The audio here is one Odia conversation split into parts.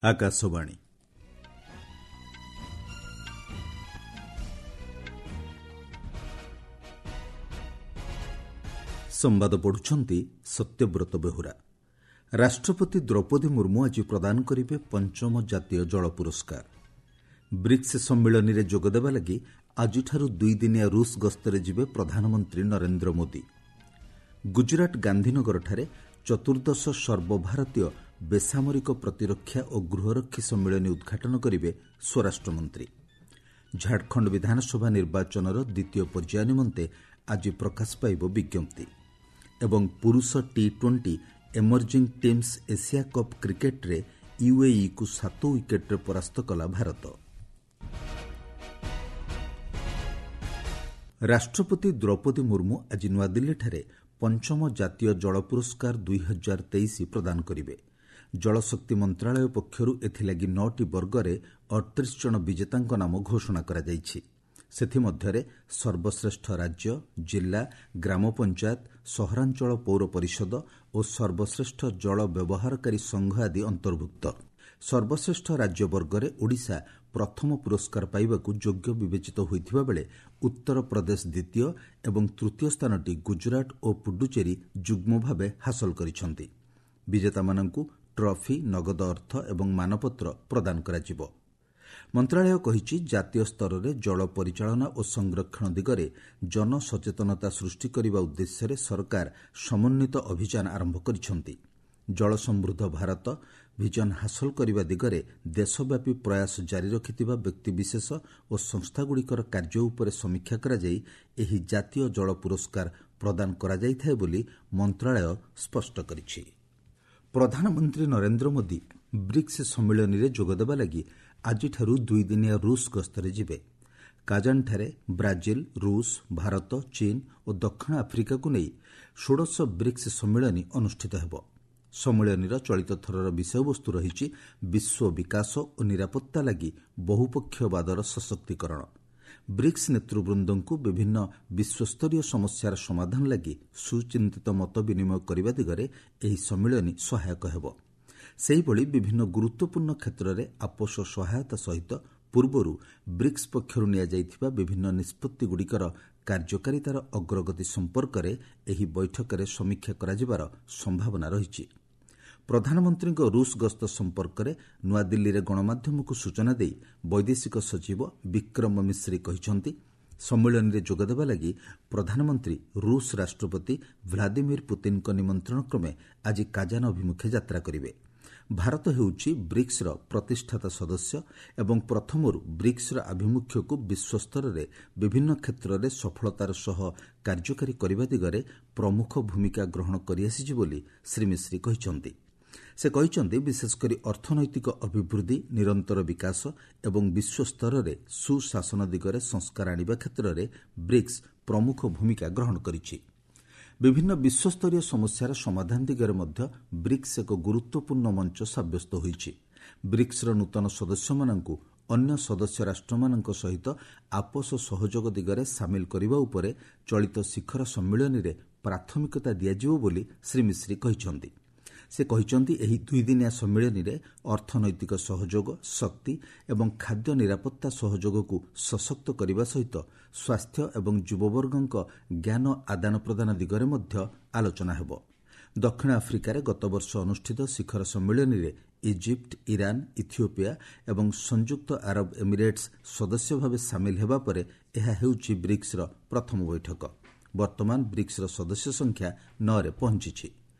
ଆକାଶବାଣୀ। ସମ୍ବାଦ ପଢୁଛନ୍ତି ସତ୍ୟବ୍ରତ ବେହୁରା। ରାଷ୍ଟ୍ରପତି ଦ୍ରୌପଦୀ ମୁର୍ମୁ ଆଜି ପ୍ରଦାନ କରିବେ ପଞ୍ଚମ ଜାତୀୟ ଜଳ ପୁରସ୍କାର। ବ୍ରିକ୍ସ ସମ୍ମିଳନୀରେ ଯୋଗଦେବା ଲାଗି ଆଜିଠାରୁ ଦୁଇଦିନିଆ ରୁଷ ଗସ୍ତରେ ଯିବେ ପ୍ରଧାନମନ୍ତ୍ରୀ ନରେନ୍ଦ୍ର ମୋଦି। ଗୁଜରାଟ ଗାନ୍ଧୀନଗରଠାରେ ଚତୁର୍ଦ୍ଦଶ ସର୍ବଭାରତୀୟ ବେସାମରିକ ପ୍ରତିରକ୍ଷା ଓ ଗୃହରକ୍ଷୀ ସମ୍ମିଳନୀ ଉଦ୍ଘାଟନ କରିବେ ସ୍ୱରାଷ୍ଟ୍ରମନ୍ତ୍ରୀ। ଝାଡ଼ଖଣ୍ଡ ବିଧାନସଭା ନିର୍ବାଚନର ଦ୍ୱିତୀୟ ପର୍ଯ୍ୟାୟ ନିମନ୍ତେ ଆଜି ପ୍ରକାଶ ପାଇବ ବିଜ୍ଞପ୍ତି। ଏବଂ ପୁରୁଷ T20 emerging teams Asia cup କ୍ରିକେଟ୍ରେ ୟୁଏଇକୁ 7 ୱିକେଟ୍ରେ ପରାସ୍ତ କଲା ଭାରତ। ରାଷ୍ଟ୍ରପତି ଦ୍ରୌପଦୀ ମୁର୍ମୁ ଆଜି ନୂଆଦିଲ୍ଲୀଠାରେ ପଞ୍ଚମ ଜାତୀୟ ଜଳ ପୁରସ୍କାର 2023 ପ୍ରଦାନ କରିବେ। ଜଳଶକ୍ତି ମନ୍ତ୍ରଣାଳୟ ପକ୍ଷରୁ ଏଥିଲାଗି 9ଟି ବର୍ଗରେ 38 ଜଣ ବିଜେତାଙ୍କ ନାମ ଘୋଷଣା କରାଯାଇଛି। ସେଥିମଧ୍ୟରେ ସର୍ବଶ୍ରେଷ୍ଠ ରାଜ୍ୟ, ଜିଲ୍ଲା, ଗ୍ରାମ ପଞ୍ଚାୟତ, ସହରାଞ୍ଚଳ ପୌର ପରିଷଦ ଓ ସର୍ବଶ୍ରେଷ୍ଠ ଜଳ ବ୍ୟବହାରକାରୀ ସଂଘ ଆଦି ଅନ୍ତର୍ଭୁକ୍ତ। ସର୍ବଶ୍ରେଷ୍ଠ ରାଜ୍ୟ ବର୍ଗରେ ଓଡ଼ିଶା ପ୍ରଥମ ପୁରସ୍କାର ପାଇବାକୁ ଯୋଗ୍ୟ ବିବେଚିତ ହୋଇଥିବା ବେଳେ ଉତ୍ତରପ୍ରଦେଶ ଦ୍ୱିତୀୟ ଏବଂ ତୃତୀୟ ସ୍ଥାନଟି ଗୁଜରାଟ ଓ ପୁଡୁଚେରୀ ଯୁଗ୍ମ ଭାବେ ହାସଲ କରିଛନ୍ତି। ବିଜେତାମାନଙ୍କୁ ଟ୍ରଫି, ନଗଦ ଅର୍ଥ ଏବଂ ମାନପତ୍ର ପ୍ରଦାନ କରାଯିବ। ମନ୍ତ୍ରଣାଳୟ କହିଛି, ଜାତୀୟ ସ୍ତରରେ ଜଳ ପରିଚାଳନା ଓ ସଂରକ୍ଷଣ ଦିଗରେ ଜନସଚେତନତା ସୃଷ୍ଟି କରିବା ଉଦ୍ଦେଶ୍ୟରେ ସରକାର ସମନ୍ୱିତ ଅଭିଯାନ ଆରମ୍ଭ କରିଛନ୍ତି। ଜଳ ସମୃଦ୍ଧ ଭାରତ ଭିଜନ ହାସଲ କରିବା ଦିଗରେ ଦେଶବ୍ୟାପୀ ପ୍ରୟାସ ଜାରି ରଖିଥିବା ବ୍ୟକ୍ତିବିଶେଷ ଓ ସଂସ୍ଥାଗୁଡ଼ିକର କାର୍ଯ୍ୟ ଉପରେ ସମୀକ୍ଷା କରାଯାଇ ଏହି ଜାତୀୟ ଜଳ ପୁରସ୍କାର ପ୍ରଦାନ କରାଯାଇଥାଏ ବୋଲି ମନ୍ତ୍ରଣାଳୟ ସ୍ପଷ୍ଟ କରିଛି। ପ୍ରଧାନମନ୍ତ୍ରୀ ନରେନ୍ଦ୍ର ମୋଦି ବ୍ରିକ୍ସ ସମ୍ମିଳନୀରେ ଯୋଗଦେବା ଲାଗି ଆଜିଠାରୁ ଦୁଇଦିନିଆ ରୁଷ ଗସ୍ତରେ ଯିବେ। କାଜାନଠାରେ ବ୍ରାଜିଲ, ରୁଷ, ଭାରତ, ଚୀନ ଓ ଦକ୍ଷିଣ ଆଫ୍ରିକାକୁ ନେଇ ଷୋଡ଼ଶ ବ୍ରିକ୍ସ ସମ୍ମିଳନୀ ଅନୁଷ୍ଠିତ ହେବ। ସମ୍ମିଳନୀର ଚଳିତ ଥରର ବିଷୟବସ୍ତୁ ରହିଛି ବିଶ୍ୱ ବିକାଶ ଓ ନିରାପତ୍ତା ଲାଗି ବହୁପକ୍ଷବାଦର ସଶକ୍ତିକରଣ। ବ୍ରିକ୍ସ ନେତୃବୃନ୍ଦଙ୍କୁ ବିଭିନ୍ନ ବିଶ୍ୱସ୍ତରୀୟ ସମସ୍ୟାର ସମାଧାନ ଲାଗି ସୁଚିନ୍ତିତ ମତ ବିନିମୟ କରିବା ଦିଗରେ ଏହି ସମ୍ମିଳନୀ ସହାୟକ ହେବ। ସେହିଭଳି ବିଭିନ୍ନ ଗୁରୁତ୍ୱପୂର୍ଣ୍ଣ କ୍ଷେତ୍ରରେ ଆପୋଷ ସହାୟତା ସହିତ ପୂର୍ବରୁ ବ୍ରିକ୍ସ ପକ୍ଷରୁ ନିଆଯାଇଥିବା ବିଭିନ୍ନ ନିଷ୍ପତ୍ତିଗୁଡ଼ିକର କାର୍ଯ୍ୟକାରିତାର ଅଗ୍ରଗତି ସମ୍ପର୍କରେ ଏହି ବୈଠକରେ ସମୀକ୍ଷା କରାଯିବାର ସମ୍ଭାବନା ରହିଛି। ପ୍ରଧାନମନ୍ତ୍ରୀଙ୍କ ରୁଷ ଗସ୍ତ ସମ୍ପର୍କରେ ନୂଆଦିଲ୍ଲୀରେ ଗଣମାଧ୍ୟମକୁ ସୂଚନା ଦେଇ ବୈଦେଶିକ ସଚିବ ବିକ୍ରମ ମିଶ୍ରି କହିଛନ୍ତି, ସମ୍ମିଳନୀରେ ଯୋଗଦେବା ଲାଗି ପ୍ରଧାନମନ୍ତ୍ରୀ ରୁଷ ରାଷ୍ଟ୍ରପତି ଭ୍ଲାଦିମିର ପୁତିନଙ୍କ ନିମନ୍ତ୍ରଣ କ୍ରମେ ଆଜି କାଜାନ ଅଭିମୁଖେ ଯାତ୍ରା କରିବେ। ଭାରତ ହେଉଛି ବ୍ରିକ୍ସର ପ୍ରତିଷ୍ଠାତା ସଦସ୍ୟ ଏବଂ ପ୍ରଥମରୁ ବ୍ରିକ୍ସର ଆଭିମୁଖ୍ୟକୁ ବିଶ୍ୱସ୍ତରରେ ବିଭିନ୍ନ କ୍ଷେତ୍ରରେ ସଫଳତାର ସହ କାର୍ଯ୍ୟକାରୀ କରିବା ଦିଗରେ ପ୍ରମୁଖ ଭୂମିକା ଗ୍ରହଣ କରିଆସିଛି ବୋଲି ଶ୍ରୀ ମିଶ୍ରି କହିଛନ୍ତି। ସେ କହିଛନ୍ତି, ବିଶେଷକରି ଅର୍ଥନୈତିକ ଅଭିବୃଦ୍ଧି, ନିରନ୍ତର ବିକାଶ ଏବଂ ବିଶ୍ୱସ୍ତରରେ ସୁଶାସନ ଦିଗରେ ସଂସ୍କାର ଆଣିବା କ୍ଷେତ୍ରରେ ବ୍ରିକ୍ସ ପ୍ରମୁଖ ଭୂମିକା ଗ୍ରହଣ କରିଛି। ବିଭିନ୍ନ ବିଶ୍ୱସ୍ତରୀୟ ସମସ୍ୟାର ସମାଧାନ ଦିଗରେ ମଧ୍ୟ ବ୍ରିକ୍ସ ଏକ ଗୁରୁତ୍ୱପୂର୍ଣ୍ଣ ମଞ୍ଚ ସାବ୍ୟସ୍ତ ହୋଇଛି। ବ୍ରିକ୍ସର ନୂତନ ସଦସ୍ୟମାନଙ୍କୁ ଅନ୍ୟ ସଦସ୍ୟ ରାଷ୍ଟ୍ରମାନଙ୍କ ସହିତ ଆପୋଷ ସହଯୋଗ ଦିଗରେ ସାମିଲ କରିବା ଉପରେ ଚଳିତ ଶିଖର ସମ୍ମିଳନୀରେ ପ୍ରାଥମିକତା ଦିଆଯିବ ବୋଲି ଶ୍ରୀ ମିଶ୍ରି କହିଛନ୍ତି। ସେ କହିଛନ୍ତି, ଏହି ଦୁଇଦିନିଆ ସମ୍ମିଳନୀରେ ଅର୍ଥନୈତିକ ସହଯୋଗ, ଶକ୍ତି ଏବଂ ଖାଦ୍ୟ ନିରାପତ୍ତା ସହଯୋଗକୁ ସଶକ୍ତ କରିବା ସହିତ ସ୍ୱାସ୍ଥ୍ୟ ଏବଂ ଯୁବବର୍ଗଙ୍କ ଜ୍ଞାନ ଆଦାନ ପ୍ରଦାନ ଦିଗରେ ମଧ୍ୟ ଆଲୋଚନା ହେବ। ଦକ୍ଷିଣ ଆଫ୍ରିକାରେ ଗତବର୍ଷ ଅନୁଷ୍ଠିତ ଶିଖର ସମ୍ମିଳନୀରେ ଇଜିପ୍ଟ, ଇରାନ, ଇଥିଓପିଆ ଏବଂ ସଂଯୁକ୍ତ ଆରବ ଏମିରେଟ୍ସ ସଦସ୍ୟ ଭାବେ ସାମିଲ ହେବା ପରେ ଏହା ହେଉଛି ବ୍ରିକ୍ସର ପ୍ରଥମ ବୈଠକ। ବର୍ତ୍ତମାନ ବ୍ରିକ୍ସର ସଦସ୍ୟ ସଂଖ୍ୟା 9ରେ ପହଞ୍ଚିଛି।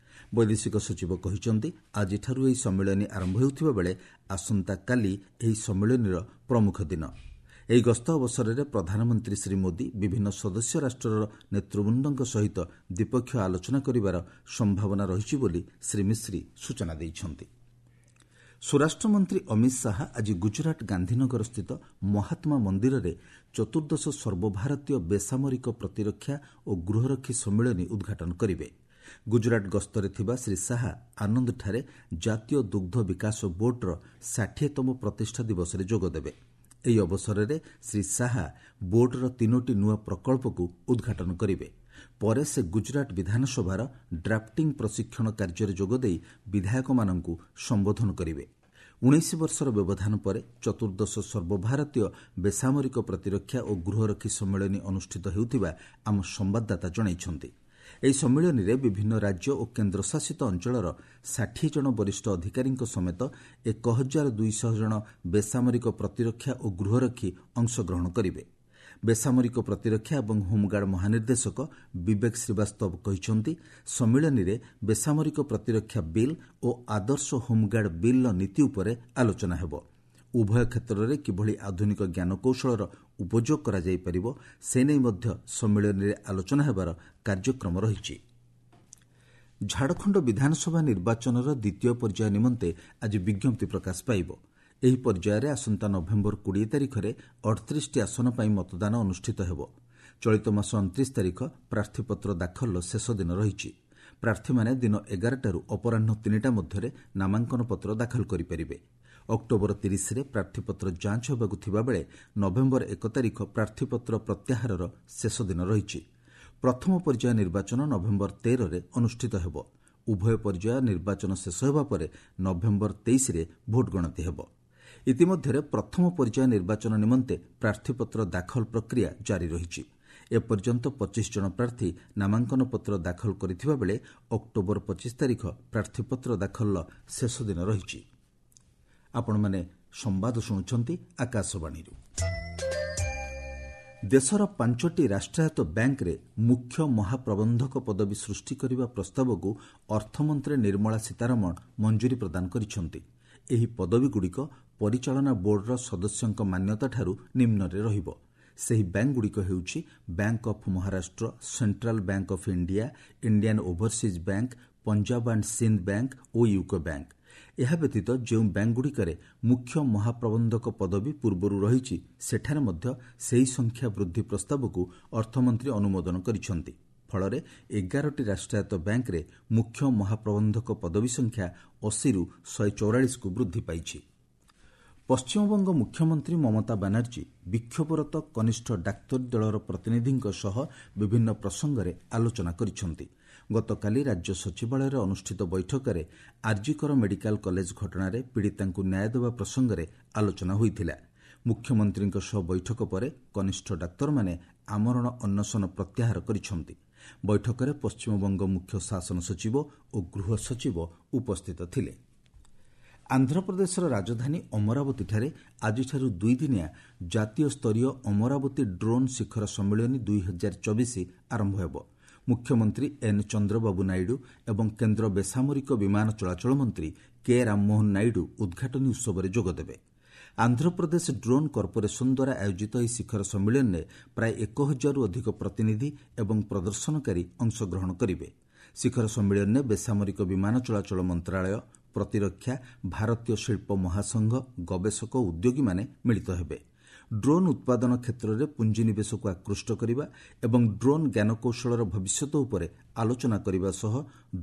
ବୈଦେଶିକ ସଚିବ କହିଛନ୍ତି, ଆଜିଠାରୁ ଏହି ସମ୍ମିଳନୀ ଆରମ୍ଭ ହେଉଥିବା ବେଳେ ଆସନ୍ତାକାଲି ଏହି ସମ୍ମିଳନୀର ପ୍ରମୁଖ ଦିନ। ଏହି ଗସ୍ତ ଅବସରରେ ପ୍ରଧାନମନ୍ତ୍ରୀ ଶ୍ରୀ ମୋଦି ବିଭିନ୍ନ ସଦସ୍ୟ ରାଷ୍ଟ୍ରର ନେତୃବୃନ୍ଦଙ୍କ ସହିତ ଦ୍ୱିପକ୍ଷୀୟ ଆଲୋଚନା କରିବାର ସମ୍ଭାବନା ରହିଛି ବୋଲି ଶ୍ରୀ ମିଶ୍ରି ସୂଚନା ଦେଇଛନ୍ତି। ସ୍ୱରାଷ୍ଟ୍ରମନ୍ତ୍ରୀ ଅମିତ ଶାହା ଆଜି ଗୁଜରାଟ ଗାନ୍ଧୀନଗରସ୍ଥିତ ମହାତ୍ମା ମନ୍ଦିରରେ ଚତୁର୍ଦ୍ଦଶ ସର୍ବଭାରତୀୟ ବେସାମରିକ ପ୍ରତିରକ୍ଷା ଓ ଗୃହରକ୍ଷୀ ସମ୍ମିଳନୀ ଉଦ୍ଘାଟନ କରିବେ। ଗୁଜରାଟ ଗସ୍ତରେ ଥିବା ଶ୍ରୀ ଶାହା ଆନନ୍ଦଠାରେ ଜାତୀୟ ଦୁଗ୍ଧ ବିକାଶ ବୋର୍ଡର 60ତମ ପ୍ରତିଷ୍ଠା ଦିବସରେ ଯୋଗଦେବେ। ଏହି ଅବସରରେ ଶ୍ରୀ ଶାହା ବୋର୍ଡର 3ଟି ନୂଆ ପ୍ରକଳ୍ପକୁ ଉଦ୍ଘାଟନ କରିବେ। ପରେ ସେ ଗୁଜରାଟ ବିଧାନସଭାର ଡ୍ରାଫ୍ଟିଂ ପ୍ରଶିକ୍ଷଣ କାର୍ଯ୍ୟରେ ଯୋଗଦେଇ ବିଧାୟକମାନଙ୍କୁ ସମ୍ବୋଧନ କରିବେ। 19 ବର୍ଷର ବ୍ୟବଧାନ ପରେ ଚତୁର୍ଦ୍ଦଶ ସର୍ବଭାରତୀୟ ବେସାମରିକ ପ୍ରତିରକ୍ଷା ଓ ଗୃହରକ୍ଷୀ ସମ୍ମିଳନୀ ଅନୁଷ୍ଠିତ ହେଉଥିବା ଆମ ସମ୍ବାଦଦାତା ଜଣାଇଛନ୍ତି। ଏହି ସମ୍ମିଳନୀରେ ବିଭିନ୍ନ ରାଜ୍ୟ ଓ କେନ୍ଦ୍ରଶାସିତ ଅଞ୍ଚଳର 60 ଜଣ ବରିଷ୍ଠ ଅଧିକାରୀଙ୍କ ସମେତ 1200 ଜଣ ବେସାମରିକ ପ୍ରତିରକ୍ଷା ଓ ଗୃହରକ୍ଷୀ ଅଂଶଗ୍ରହଣ କରିବେ। ବେସାମରିକ ପ୍ରତିରକ୍ଷା ଏବଂ ହୋମ୍ଗାର୍ଡ ମହାନିର୍ଦ୍ଦେଶକ ବିବେକ ଶ୍ରୀବାସ୍ତବ କହିଛନ୍ତି, ସମ୍ମିଳନୀରେ ବେସାମରିକ ପ୍ରତିରକ୍ଷା ବିଲ୍ ଓ ଆଦର୍ଶ ହୋମ୍ଗାର୍ଡ ବିଲ୍ର ନୀତି ଉପରେ ଆଲୋଚନା ହେବ। ଉଭୟ କ୍ଷେତ୍ରରେ କିଭଳି ଆଧୁନିକ ଜ୍ଞାନକୌଶଳର ଉପଯୋଗ କରାଯାଇପାରିବ, ସେ ନେଇ ମଧ୍ୟ ସମ୍ମିଳନୀରେ ଆଲୋଚନା ହେବାର କାର୍ଯ୍ୟକ୍ରମ ରହିଛି। ଝାଡ଼ଖଣ୍ଡ ବିଧାନସଭା ନିର୍ବାଚନର ଦ୍ୱିତୀୟ ପର୍ଯ୍ୟାୟ ନିମନ୍ତେ ଆଜି ବିଜ୍ଞପ୍ତି ପ୍ରକାଶ ପାଇବ। ଏହି ପର୍ଯ୍ୟାୟରେ ଆସନ୍ତା ନଭେମ୍ବର 20 ତାରିଖରେ 38ଟି ଆସନ ପାଇଁ ମତଦାନ ଅନୁଷ୍ଠିତ ହେବ। ଚଳିତ ମାସ 29 ତାରିଖ ପ୍ରାର୍ଥୀପତ୍ର ଦାଖଲର ଶେଷ ଦିନ ରହିଛି। ପ୍ରାର୍ଥୀମାନେ ଦିନ 11ଟାରୁ ଅପରାହ୍ନ 3ଟା ମଧ୍ୟରେ ନାମାଙ୍କନ ପତ୍ର ଦାଖଲ କରିପାରିବେ। ଅକ୍ଟୋବର 30ରେ ପ୍ରାର୍ଥୀପତ୍ର ଯାଞ୍ଚ ହେବାକୁ ଥିବାବେଳେ ନଭେମ୍ବର 1 ତାରିଖ ପ୍ରାର୍ଥୀପତ୍ର ପ୍ରତ୍ୟାହାରର ଶେଷ ଦିନ ରହିଛି। ପ୍ରଥମ ପର୍ଯ୍ୟାୟ ନିର୍ବାଚନ ନଭେମ୍ବର 13ରେ ଅନୁଷ୍ଠିତ ହେବ। ଉଭୟ ପର୍ଯ୍ୟାୟ ନିର୍ବାଚନ ଶେଷ ହେବା ପରେ ନଭେମ୍ବର 23ରେ ଭୋଟ ଗଣତି ହେବ। ଇତିମଧ୍ୟରେ ପ୍ରଥମ ପର୍ଯ୍ୟାୟ ନିର୍ବାଚନ ନିମନ୍ତେ ପ୍ରାର୍ଥୀପତ୍ର ଦାଖଲ ପ୍ରକ୍ରିୟା ଜାରି ରହିଛି। ଏପର୍ଯ୍ୟନ୍ତ 25 ଜଣ ପ୍ରାର୍ଥୀ ନାମାଙ୍କନ ପତ୍ର ଦାଖଲ କରିଥିବା ବେଳେ ଅକ୍ଟୋବର 25 ତାରିଖ ପ୍ରାର୍ଥୀପତ୍ର ଦାଖଲର ଶେଷ ଦିନ ରହିଛି। ଆପଣମାନେ ସମ୍ବାଦ ଶୁଣୁଛନ୍ତି ଆକାଶବାଣୀରୁ। ଦେଶର 5ଟି ରାଷ୍ଟ୍ରାୟତ୍ତ ବ୍ୟାଙ୍କରେ ମୁଖ୍ୟ ମହାପ୍ରବନ୍ଧକ ପଦବୀ ସୃଷ୍ଟି କରିବା ପ୍ରସ୍ତାବକୁ ଅର୍ଥମନ୍ତ୍ରୀ ନିର୍ମଳା ସୀତାରମଣ ମଞ୍ଜୁରୀ ପ୍ରଦାନ କରିଛନ୍ତି। ଏହି ପଦବୀଗୁଡ଼ିକ ପରିଚାଳନା ବୋର୍ଡର ସଦସ୍ୟଙ୍କ ମାନ୍ୟତାଠାରୁ ନିମ୍ନରେ ରହିବ। ସେହି ବ୍ୟାଙ୍କଗୁଡ଼ିକ ହେଉଛି Bank of Maharashtra, Central Bank of India, Indian Overseas Bank, Punjab and Sind Bank O UCO bank. ଏହା ବ୍ୟତୀତ ଯେଉଁ ବ୍ୟାଙ୍କଗୁଡ଼ିକରେ ମୁଖ୍ୟ ମହାପ୍ରବନ୍ଧକ ପଦବୀ ପୂର୍ବରୁ ରହିଛି, ସେଠାରେ ମଧ୍ୟ ସେହି ସଂଖ୍ୟା ବୃଦ୍ଧି ପ୍ରସ୍ତାବକୁ ଅର୍ଥମନ୍ତ୍ରୀ ଅନୁମୋଦନ କରିଛନ୍ତି। ଫଳରେ 11ଟି ରାଷ୍ଟ୍ରାୟତ୍ତ ବ୍ୟାଙ୍କରେ ମୁଖ୍ୟ ମହାପ୍ରବନ୍ଧକ ପଦବୀ ସଂଖ୍ୟା 80ରୁ 144କୁ ବୃଦ୍ଧି ପାଇଛି। ପଶ୍ଚିମବଙ୍ଗ ମୁଖ୍ୟମନ୍ତ୍ରୀ ମମତା ବାନାର୍ଜୀ ବିକ୍ଷୋଭରତ କନିଷ୍ଠ ଡାକ୍ତରୀ ଦଳର ପ୍ରତିନିଧିଙ୍କ ସହ ବିଭିନ୍ନ ପ୍ରସଙ୍ଗରେ ଆଲୋଚନା କରିଛନ୍ତି। ଗତକାଲି ରାଜ୍ୟ ସଚିବାଳୟରେ ଅନୁଷ୍ଠିତ ବୈଠକରେ ଆର୍ଜିକର ମେଡିକାଲ କଲେଜ ଘଟଣାରେ ପୀଡ଼ିତାଙ୍କୁ ନ୍ୟାୟ ଦେବା ପ୍ରସଙ୍ଗରେ ଆଲୋଚନା ହୋଇଥିଲା। ମୁଖ୍ୟମନ୍ତ୍ରୀଙ୍କ ସହ ବୈଠକ ପରେ କନିଷ୍ଠ ଡାକ୍ତରମାନେ ଆମରଣ ଅନଶନ ପ୍ରତ୍ୟାହାର କରିଛନ୍ତି। ବୈଠକରେ ପଶ୍ଚିମବଙ୍ଗ ମୁଖ୍ୟ ଶାସନ ସଚିବ ଓ ଗୃହ ସଚିବ ଉପସ୍ଥିତ ଥିଲେ। ଆନ୍ଧ୍ରପ୍ରଦେଶର ରାଜଧାନୀ ଅମରାବତୀଠାରେ ଆଜିଠାରୁ ଦୁଇଦିନିଆ ଜାତୀୟ ସ୍ତରୀୟ ଅମରାବତୀ ଡ୍ରୋନ୍ ଶିଖର ସମ୍ମିଳନୀ 2024 ଆରମ୍ଭ ହେବ। ମୁଖ୍ୟମନ୍ତ୍ରୀ ଏନ୍ ଚନ୍ଦ୍ରବାବୁ ନାଇଡୁ ଏବଂ କେନ୍ଦ୍ର ବେସାମରିକ ବିମାନ ଚଳାଚଳ ମନ୍ତ୍ରୀ କେ ରାମମୋହନ ନାଇଡୁ ଉଦ୍ଘାଟନୀ ଉତ୍ସବରେ ଯୋଗଦେବେ। ଆନ୍ଧ୍ରପ୍ରଦେଶ ଡ୍ରୋନ୍ କର୍ପୋରେସନ ଦ୍ୱାରା ଆୟୋଜିତ ଏହି ଶିଖର ସମ୍ମିଳନୀରେ ପ୍ରାୟ 1000ରୁ ଅଧିକ ପ୍ରତିନିଧି ଏବଂ ପ୍ରଦର୍ଶନକାରୀ ଅଂଶଗ୍ରହଣ କରିବେ। ଶିଖର ସମ୍ମିଳନୀରେ ବେସାମରିକ ବିମାନ ଚଳାଚଳ ମନ୍ତ୍ରଣାଳୟ, ପ୍ରତିରକ୍ଷା, ଭାରତୀୟ ଶିଳ୍ପ ମହାସଂଘ, ଗବେଷକ ଓ ଉଦ୍ୟୋଗୀମାନେ ମିଳିତ ହେବେ। ଡ୍ରୋନ୍ ଉତ୍ପାଦନ କ୍ଷେତ୍ରରେ ପୁଞ୍ଜିନିବେଶକୁ ଆକୃଷ୍ଟ କରିବା ଏବଂ ଡ୍ରୋନ୍ ଜ୍ଞାନକୌଶଳର ଭବିଷ୍ୟତ ଉପରେ ଆଲୋଚନା କରିବା ସହ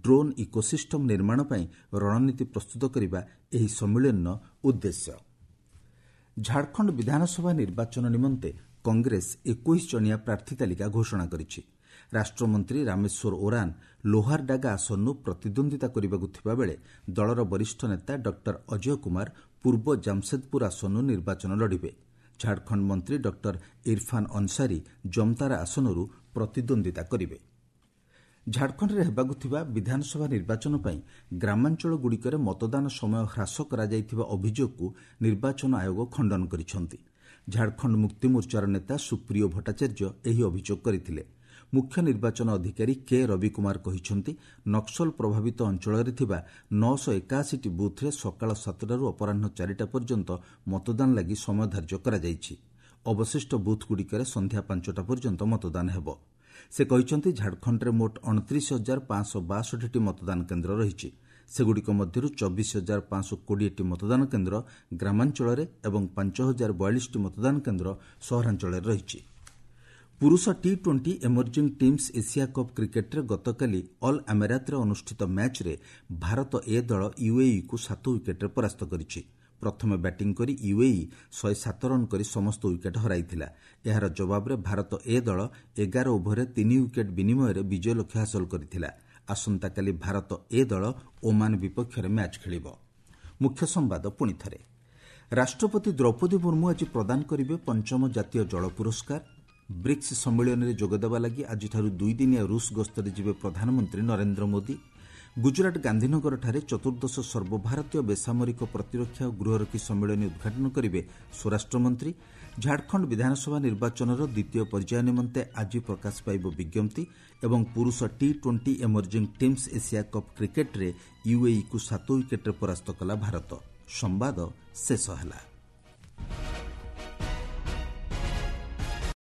ଡ୍ରୋନ୍ ଇକୋସିଷ୍ଟମ୍ ନିର୍ମାଣ ପାଇଁ ରଣନୀତି ପ୍ରସ୍ତୁତ କରିବା ଏହି ସମ୍ମିଳନୀର ଉଦ୍ଦେଶ୍ୟ। ଝାଡ଼ଖଣ୍ଡ ବିଧାନସଭା ନିର୍ବାଚନ ନିମନ୍ତେ କଂଗ୍ରେସ 21 ଜଣିଆ ପ୍ରାର୍ଥୀ ତାଲିକା ଘୋଷଣା କରିଛି। ରାଷ୍ଟ୍ରମନ୍ତ୍ରୀ ରାମେଶ୍ୱର ଓରାନ ଲୋହାରଡାଗା ଆସନରୁ ପ୍ରତିଦ୍ୱନ୍ଦ୍ୱିତା କରିବାକୁ ଥିବାବେଳେ ଦଳର ବରିଷ୍ଠ ନେତା ଡକ୍ଟର ଅଜୟ କୁମାର ପୂର୍ବ ଜାମସେଦପୁର ଆସନରୁ ନିର୍ବାଚନ ଲଢ଼ିବେ। ଝାଡ଼ଖଣ୍ଡ ମନ୍ତ୍ରୀ ଡକ୍ଟର ଇରଫାନ୍ ଅନସାରୀ ଜମତାରା ଆସନରୁ ପ୍ରତିଦ୍ୱନ୍ଦ୍ୱିତା କରିବେ। ଝାଡ଼ଖଣ୍ଡରେ ହେବାକୁ ଥିବା ବିଧାନସଭା ନିର୍ବାଚନ ପାଇଁ ଗ୍ରାମାଞ୍ଚଳଗୁଡ଼ିକରେ ମତଦାନ ସମୟ ହ୍ରାସ କରାଯାଇଥିବା ଅଭିଯୋଗକୁ ନିର୍ବାଚନ ଆୟୋଗ ଖଣ୍ଡନ କରିଛନ୍ତି। ଝାଡ଼ଖଣ୍ଡ ମୁକ୍ତିମୋର୍ଚ୍ଚାର ନେତା ସୁପ୍ରିୟୋ ଭଟ୍ଟାଚାର୍ଯ୍ୟ ଏହି ଅଭିଯୋଗ କରିଥିଲେ। ମୁଖ୍ୟ ନିର୍ବାଚନ ଅଧିକାରୀ କେ ରବି କୁମାର କହିଛନ୍ତି, ନକ୍ସଲ ପ୍ରଭାବିତ ଅଞ୍ଚଳରେ ଥିବା 981ଟି ବୁଥ୍ରେ ସକାଳ 7ଟାରୁ ଅପରାହ୍ନ 4ଟା ପର୍ଯ୍ୟନ୍ତ ମତଦାନ ଲାଗି ସମୟ ଧାର୍ଯ୍ୟ କରାଯାଇଛି। ଅବଶିଷ୍ଟ ବୁଥ୍ଗୁଡ଼ିକରେ ସନ୍ଧ୍ୟା 5ଟା ପର୍ଯ୍ୟନ୍ତ ମତଦାନ ହେବ। ସେ କହିଛନ୍ତି, ଝାଡ଼ଖଣ୍ଡରେ ମୋଟ 29,562ଟି ମତଦାନ କେନ୍ଦ୍ର ରହିଛି। ସେଗୁଡ଼ିକ ମଧ୍ୟରୁ 24,520ଟି ମତଦାନ କେନ୍ଦ୍ର ଗ୍ରାମାଞ୍ଚଳରେ ଏବଂ 5,042ଟି ମତଦାନ କେନ୍ଦ୍ର ସହରାଞ୍ଚଳରେ ରହିଛି। ପୁରୁଷ T20 Emerging Teams Asia Cup କ୍ରିକେଟ୍ରେ ଗତକାଲି ଅଲ୍ ଆମେରାତରେ ଅନୁଷ୍ଠିତ ମ୍ୟାଚ୍ରେ ଭାରତ ଏ ଦଳ ୟୁଏଇକୁ 7 ୱିକେଟ୍ରେ ପରାସ୍ତ କରିଛି। ପ୍ରଥମେ ବ୍ୟାଟିଂ କରି ୟୁଏଇ 107 ରନ୍ କରି ସମସ୍ତ ୱିକେଟ୍ ହରାଇଥିଲା। ଏହାର ଜବାବରେ ଭାରତ ଏ ଦଳ 11 ଓଭରରେ 3 ୱିକେଟ୍ ବିନିମୟରେ ବିଜୟ ଲକ୍ଷ୍ୟ ହାସଲ କରିଥିଲା। ଆସନ୍ତାକାଲି ଭାରତ ଏ ଦଳ ଓମାନ ବିପକ୍ଷରେ ମ୍ୟାଚ୍ ଖେଳିବ। ମୁଖ୍ୟ ସମ୍ବାଦ ପୁଣିଥରେ। ରାଷ୍ଟ୍ରପତି ଦ୍ରୌପଦୀ ମୁର୍ମୁ ଆଜି ପ୍ରଦାନ କରିବେ ପଞ୍ଚମ ଜାତୀୟ ଜଳ ପୁରସ୍କାର। ବ୍ରିକ୍ସ ସମ୍ମିଳନୀରେ ଯୋଗଦେବା ଲାଗି ଆଜିଠାରୁ ଦୁଇଦିନିଆ ରୁଷ ଗସ୍ତରେ ଯିବେ ପ୍ରଧାନମନ୍ତ୍ରୀ ନରେନ୍ଦ୍ର ମୋଦି। ଗୁଜରାଟ ଗାନ୍ଧୀନଗରଠାରେ ଚତୁର୍ଦ୍ଦଶ ସର୍ବଭାରତୀୟ ବେସାମରିକ ପ୍ରତିରକ୍ଷା ଓ ଗୃହରକ୍ଷୀ ସମ୍ମିଳନୀ ଉଦ୍ଘାଟନ କରିବେ ସ୍ୱରାଷ୍ଟ୍ରମନ୍ତ୍ରୀ। ଝାଡ଼ଖଣ୍ଡ ବିଧାନସଭା ନିର୍ବାଚନର ଦ୍ୱିତୀୟ ପର୍ଯ୍ୟାୟ ନିମନ୍ତେ ଆଜି ପ୍ରକାଶ ପାଇବ ବିଜ୍ଞପ୍ତି। ଏବଂ ପୁରୁଷ T20 emerging teams Asia cup କ୍ରିକେଟ୍ରେ ୟୁଏଇକୁ 7 ୱିକେଟ୍ରେ ପରାସ୍ତ କଲା ଭାରତ। ସମ୍ବାଦ ଶେଷ ହେଲା।